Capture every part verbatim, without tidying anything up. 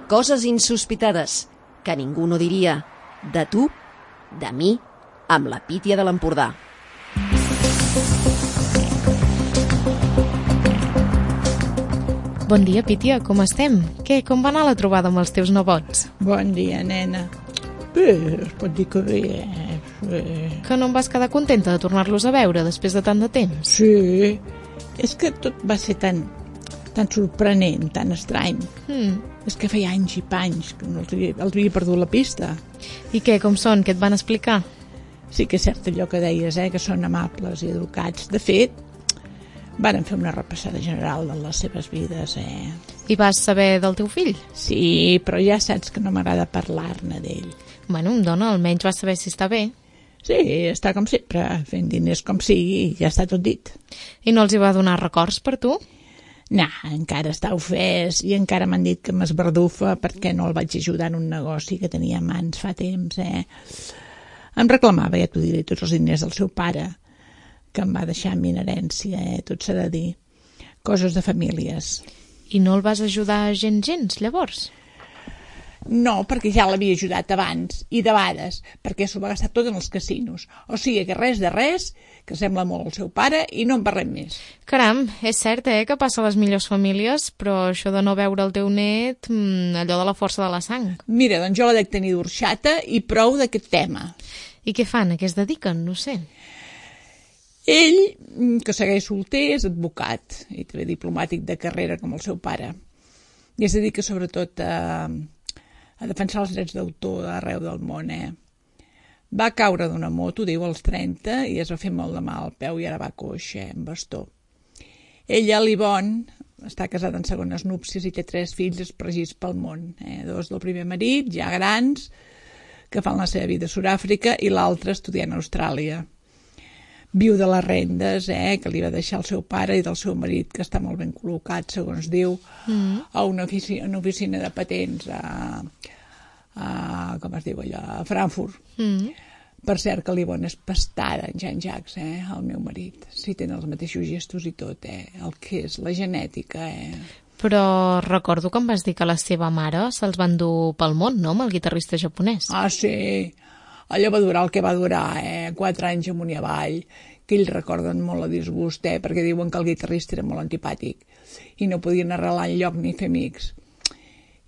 coses insospitades que ningú no diria. De tu, de mi, amb la Pítia de l'Empordà. Bon dia, Pítia, com estem? Què, com va anar la trobada amb els teus nebots? Bon dia, nena. Bé, es pot dir que bé, eh? Bé. Que no em vas quedar contenta de tornar-los a veure després de tant de temps? Sí, és que tot va ser tan, tan sorprenent, tan estrany. Mm. És que feia anys i panys que no els havia, els havia perdut la pista. I què, com són? Què et van explicar? Sí que és cert allò que deies, eh? Que són amables i educats. De fet, van fer una repassada general de les seves vides, eh? I vas saber del teu fill? Sí, però ja saps que no m'agrada parlar-ne d'ell. Bueno, dona, almenys vas saber si està bé. Sí, està com sempre, fent diners com sigui, i ja està tot dit. I no els hi va donar records per tu? No, encara està ofès i encara m'han dit que m'esbardufa perquè no el vaig ajudar en un negoci que tenia a mans fa temps, eh? Em reclamava, ja t'ho diré, tots els diners del seu pare, que em va deixar a mi en herència, eh? Tot s'ha de dir. Coses de famílies. I no el vas ajudar gens, gens, llavors? No, perquè ja l'havia ajudat abans, i debades, perquè s'ho va gastar tot en els casinos. O sigui que res de res, que sembla molt el seu pare, i no en parlem més. Caram, és cert, eh, que passa a les millors famílies, però això de no veure el teu net, mmm, allò de la força de la sang. Mira, doncs jo la dec tenir d'orxata i prou d'aquest tema. I què fan? A què es dediquen? No sé. Ell, que segueix solter, és advocat i també diplomàtic de carrera com el seu pare. I es dedica sobretot a... a defensar els drets d'autor arreu del món, eh? Va caure d'una moto, diu, als trenta, i es va fer molt de mal al peu i ara va coix, eh, amb bastó. Ella, l'Ivonne, està casada en segones núpcies i té tres fills espargits pel món, eh? Dos del primer marit, ja grans, que fan la seva vida a Sud-àfrica, i l'altre estudiant a Austràlia. Viu de les rendes, eh, que li va deixar el seu pare i del seu marit, que està molt ben col·locat, segons diu, mm. a una oficina, una oficina de patents a, a, com es diu allò, a Frankfurt. Mm. Per cert, que l'Ivonne és pastada en Jean-Jacques, eh, el meu marit. Sí, tenen els mateixos gestos i tot, eh, el que és la genètica, eh. Però recordo que em vas dir que la seva mare se'ls van dur pel món, no?, amb el guitarrista japonès. Ah, sí. Allò va durar el que va durar, eh? Quatre anys amunt i avall, que ells recorden molt a disgust, eh? Perquè diuen que el guitarrista era molt antipàtic i no podien arrelar enlloc ni fer amics.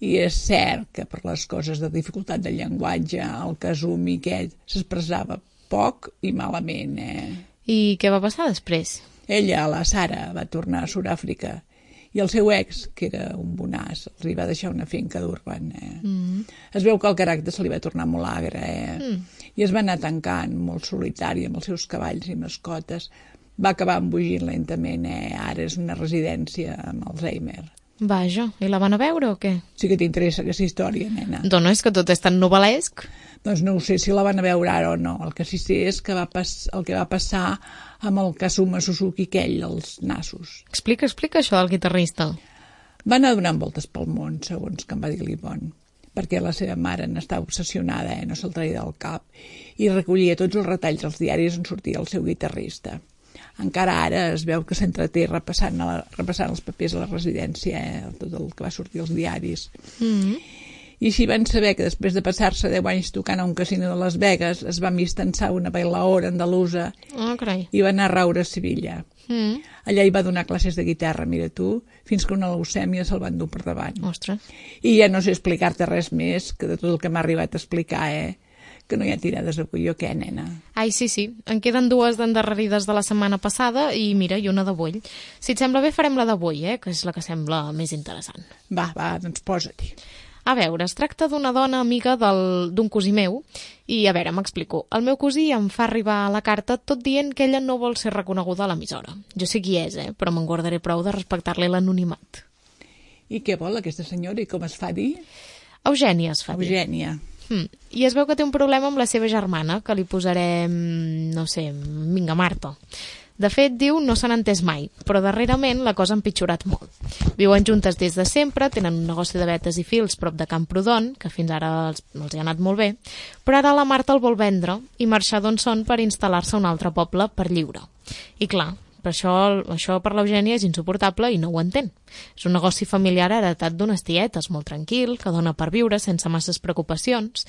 I és cert que per les coses de dificultat del llenguatge, el Kazumi aquest s'expressava poc i malament, eh? I què va passar després? Ella, la Sara, va tornar a Sud-àfrica i el seu ex, que era un bonàs, els va deixar una finca d'Urban. Eh? Mm. Es veu que el caràcter se li va tornar molt agre, eh? Mm. I es va anar tancant, molt solitari, amb els seus cavalls i mascotes. Va acabar embogint lentament, eh? Ara és una residència amb Alzheimer. Vaja, i la van a veure o què? Sí que t'interessa aquesta història, nena. Dona, és que tot és tan novel·lesc. Doncs no ho sé si la van a veure ara o no. El que sí sé és que va pas... el que va passar amb el Kazuma Suzuki aquell, els nassos. Explica, explica això del guitarrista. Va anar donant voltes pel món, segons que em va dir l'Ivonne, perquè la seva mare n'estava obsessionada, eh? No se'l traia del cap, i recollia tots els retalls als diaris on sortia el seu guitarrista. Encara ara es veu que s'entreté repassant, la, repassant els papers a la residència, eh? Tot el que va sortir als diaris. Mm-hmm. I així van saber que després de passar-se deu anys tocant a un casino de Las Vegas es va mistançar una bailaora andalusa oh, i va anar a raure a Sevilla. Mm. Allà hi va donar classes de guitarra, mira tu, fins que una leucèmia se'l van dur per davant. Ostres. I ja no sé explicar-te res més que de tot el que m'ha arribat a explicar, eh? Que no hi ha tirades de colló, què, nena? Ai, sí, sí. En queden dues d'endarrerides de la setmana passada i, mira, i una d'avui. Si et sembla bé, farem la d'avui, eh? Que és la que sembla més interessant. Va, va, doncs posa-t'hi. A veure, es tracta d'una dona amiga del, d'un cosí meu i, a veure, m'explico. El meu cosí em fa arribar la carta tot dient que ella no vol ser reconeguda a l'emissora. Jo sé qui és, eh? Però me'n guardaré prou de respectar-li l'anonimat. I què vol aquesta senyora i com es fa dir? Eugènia es fa dir. Eugènia. Hmm. I es veu que té un problema amb la seva germana, que li posarem, no sé, vinga, Marta. De fet, diu, no s'han entès mai, però darrerament la cosa ha empitjorat molt. Viuen juntes des de sempre, tenen un negoci de vetes i fils prop de Camprodon, que fins ara els, els hi ha anat molt bé, però ara la Marta el vol vendre i marxar d'on són per instal·lar-se a un altre poble per lliure. I clar, per això, això per l'Eugènia és insuportable i no ho entén. És un negoci familiar heretat d'unes tietes, molt tranquil, que dona per viure sense masses preocupacions.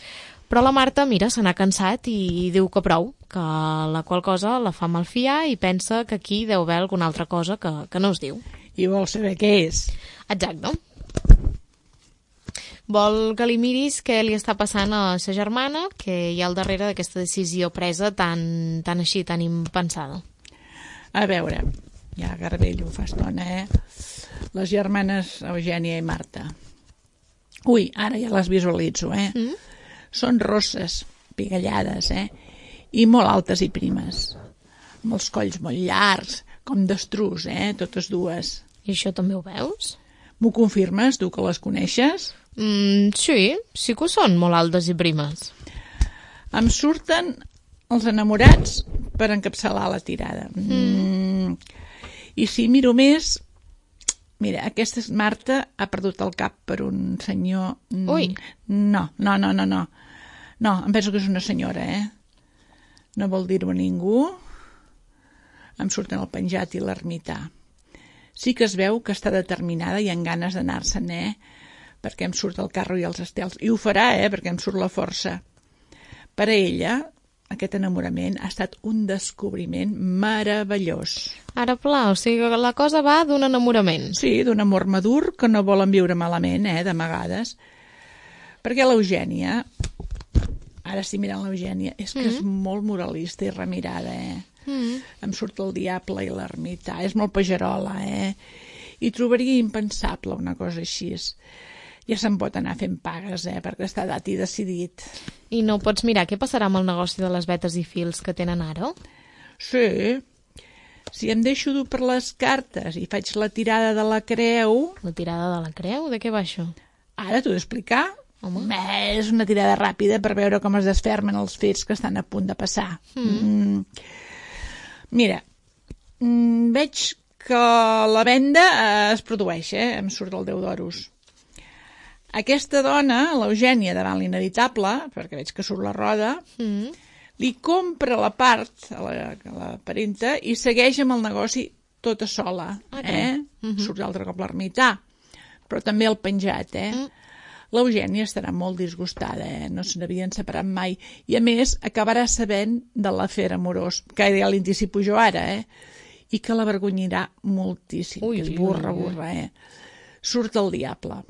Però la Marta, mira, se n'ha cansat i diu que prou, que la qual cosa la fa malfiar i pensa que aquí deu haver alguna altra cosa que, que no es diu. I vol saber què és. Exacte. Vol que li miris què li està passant a sa germana, que hi ha al darrere d'aquesta decisió presa tan, tan així, tan impensada. A veure, ja garbell ho fa estona, eh? Les germanes Eugènia i Marta. Ui, ara ja les visualitzo, eh? Mm? Són rosses, pigallades, eh? I molt altes i primes. Amb els colls molt llargs, com d'estrus, eh? Totes dues. I això també ho veus? M'ho confirmes, tu que les coneixes? Mm, sí, sí que ho són molt altes i primes. Em surten els enamorats per encapçalar la tirada. Mm. I si miro més, mira, aquesta Marta ha perdut el cap per un senyor... Ui. No, no, no, no, no. No, em penso que és una senyora, eh? No vol dir-ho a ningú. Em surten el penjat i l'ermità. Sí que es veu que està determinada i amb ganes d'anar-se'n, eh? Perquè em surt el carro i els estels. I ho farà, eh? Perquè em surt la força. Per a ella, aquest enamorament ha estat un descobriment meravellós. Ara, pla, o sigui que la cosa va d'un enamorament. Sí, d'un amor madur que no volen viure malament, eh? d'amagades. Perquè l'Eugènia, ara estic mirant l'Eugènia, és que mm. és molt moralista i remirada, eh? Mm. Em surt el diable i l'ermità. És molt pagerola, eh? I trobaria impensable una cosa així. Ja se'n pot anar fent pagues, eh, perquè està dat i decidit. I no pots mirar què passarà amb el negoci de les vetes i fils que tenen ara? Sí. Si em deixo dur per les cartes i faig la tirada de la creu... La tirada de la creu? De què va això? Ara t'ho he d'explicar. Home. És una tirada ràpida per veure com es desfermen els fets que estan a punt de passar. Mm. Mm. Mira, mm, veig que la venda eh, es produeix, eh? Em surt el deu d'oros. Aquesta dona, l'Eugènia, davant l'inevitable, perquè veig que surt la roda, mm. li compra la part a la, a la parenta i segueix amb el negoci tota sola. Okay. Eh? Mm-hmm. Surt l'altre cop l'ermità, però també el penjat. Eh? Mm. L'Eugènia estarà molt disgustada, eh? No se n'havien separat mai. I a més, acabarà sabent de l'afer amorós, que ja l'anticipo jo ara, eh? I que l'avergonyirà moltíssim. Ui, és burra, burra, eh? Surt el diable.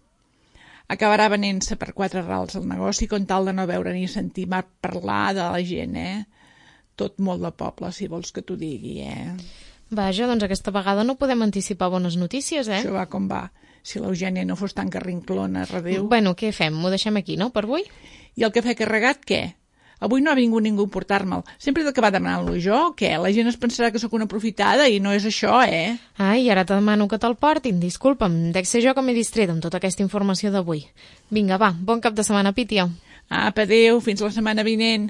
Acabarà venent-se per quatre rals al negoci con tal de no veure ni sentir mai parlar de la gent, eh? Tot molt de poble, si vols que t'ho digui, eh? Vaja, doncs aquesta vegada no podem anticipar bones notícies, eh? Això va com va. Si l'Eugènia no fos tan carrinclona, redéu... Bueno, què fem? M'ho deixem aquí, no?, per avui? I el cafè carregat, què? Avui no ha vingut ningú a portar-me'l. Sempre he d'acabar demanant-lo jo, què? La gent es pensarà que sóc una aprofitada i no és això, eh? Ai, ara te demano que te'l portin. Disculpa'm, dec ser jo que m'he distret amb tota aquesta informació d'avui. Vinga, va, bon cap de setmana, Pítia. Apa, adéu, fins la setmana vinent.